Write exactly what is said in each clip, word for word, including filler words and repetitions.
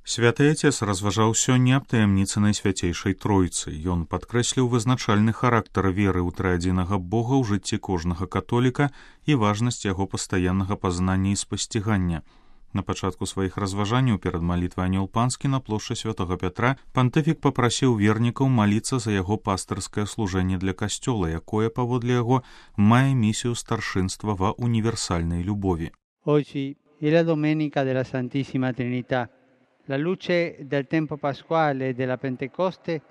Святы Отец разважаў сёння аб таямніцы Найсвяцейшай Тройцы. Ён падкрэсліў вызначальны характар веры ў трыадзінага Бога ў жыцці кожнага католіка і важнасць яго пастаяннага пазнання і спасцігання. На пачатку сваіх разважанняў перад малітвай Анёл Панскі на плошчы Святога Пятра пантыфік папрасіў вернікаў маліцца за яго пастырскае служэнне для касцёла, якое, паводле яго, мае місію старшынства ва універсальнай любові. Oggi è la domenica della Santissima Trinità. La luce del tempo pasquale e della Pentecoste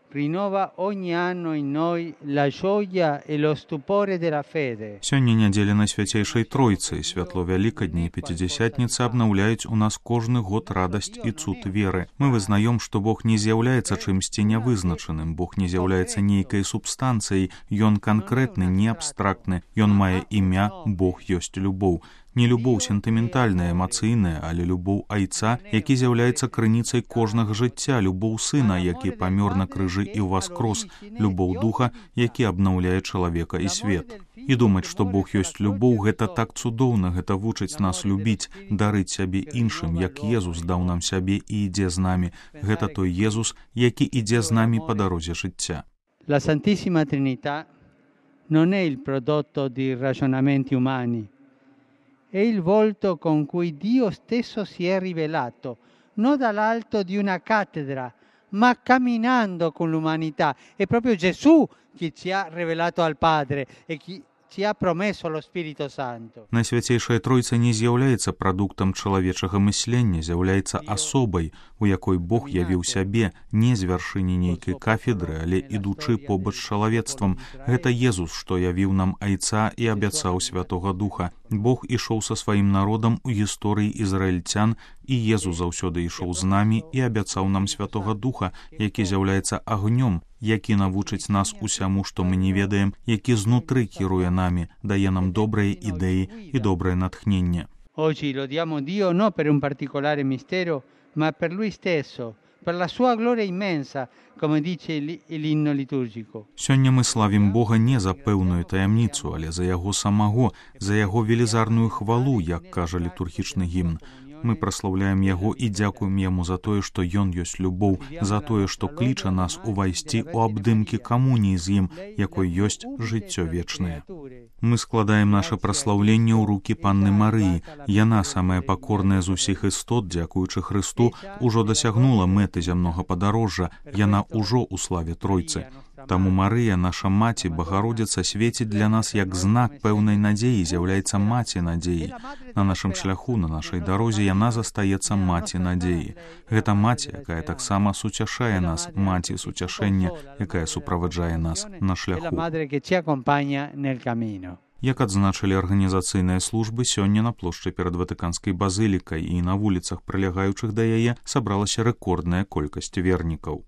rinnova ogni anno in noi la gioia e lo stupore della fede. Сёння нядзеля Найсвяцейшай Тройцы, святло Вялікадня і Пяцідзясятніцы абнаўляюць у нас кожны год радасць і цуд веры. Мы вызнаем, што Бог не з'яўляецца чымсьці нявызначаным, Бог не з'яўляецца нейкай субстанцыяй, Ён канкрэтны, не абстрактны, Ён мае імя, Бог ёсць любоў. Не любоў сентыментальная, эмацыйная, але любоў айца, які з'яўляецца крыніцай кожнага жыцця, любоў сына, які памёр на крыжы і ўваскрос, любоў духа, які абнаўляе чалавека і свет. І думаць, што Бог ёсць любоў, гэта так цудоўна, гэта вучыць нас любіць, дарыць сябе іншым, як Езус даў нам сябе і ідзе з намі. Гэта той Езус, які ідзе з намі па дарозе жыцця. La Santissima Trinità non è il prodotto di ragionamenti umani. È il volto con cui Dio stesso si è rivelato, non dall'alto di una cattedra, ma camminando con l'umanità. È proprio Gesù che ci ha rivelato al Padre e chi ci ha promesso lo Spirito Santo. Найсвяцейшая Тройца не з'яўляецца прадуктам чалавечага мыслення, з'яўляецца асобай, у якой Бог явіў сябе не з вяршыні нейкай кафедры, але ідучы побач з чалавецтвам. Гэта Езус, што явіў нам айца і абяцаў Святога Духа. Бог ішоў са сваім народам у гісторыі ізраільцян, і Езус заўсёды ішоў з намі і абяцаў нам Святога Духа, які з'яўляецца агнём, які навучыць нас усяму, што мы не ведаем, які знутры кіруе намі, дае нам добрыя ідэі і добрае натхненне. Oggi lodiamo Dio non per un particolare mistero, ma per Lui stesso, per la sua gloria immensa, come dice l'inno liturgico. Сёння мы славім Бога не за пэўную таямніцу, але за яго самого, за яго велізарную хвалу, як кажа літургічны гімн. Мы праслаўляем яго і дзякуем яму за тое, што ён ёсць любоў, за тое, што кліча нас увайсці ў абдымкі камуніі з ім, якой ёсць жыццё вечнае. Мы складаем наша праслаўленне ў рукі Панны Марыі. Яна, самая пакорная з усіх істот, дзякуючы Хрысту, ужо дасягнула мэты зямнога падарожжа, яна ўжо ў славе Тройцы. Таму Марыя, наша маці, Багародзіца, свеціць для нас як знак пэўнай надзеі, з'яўляецца маці надзеі. На нашым шляху, на нашай дарозе яна застаецца маці надзеі. Гэта маці, якая таксама суцяшае нас, маці суцяшэння, якая суправаджае нас на шляху. Як адзначылі арганізацыйныя службы, сёння на плошчы перад Ватыканскай базылікай і на вуліцах, прылягаючых да яе, сабралася рэкордная колькасць вернікаў.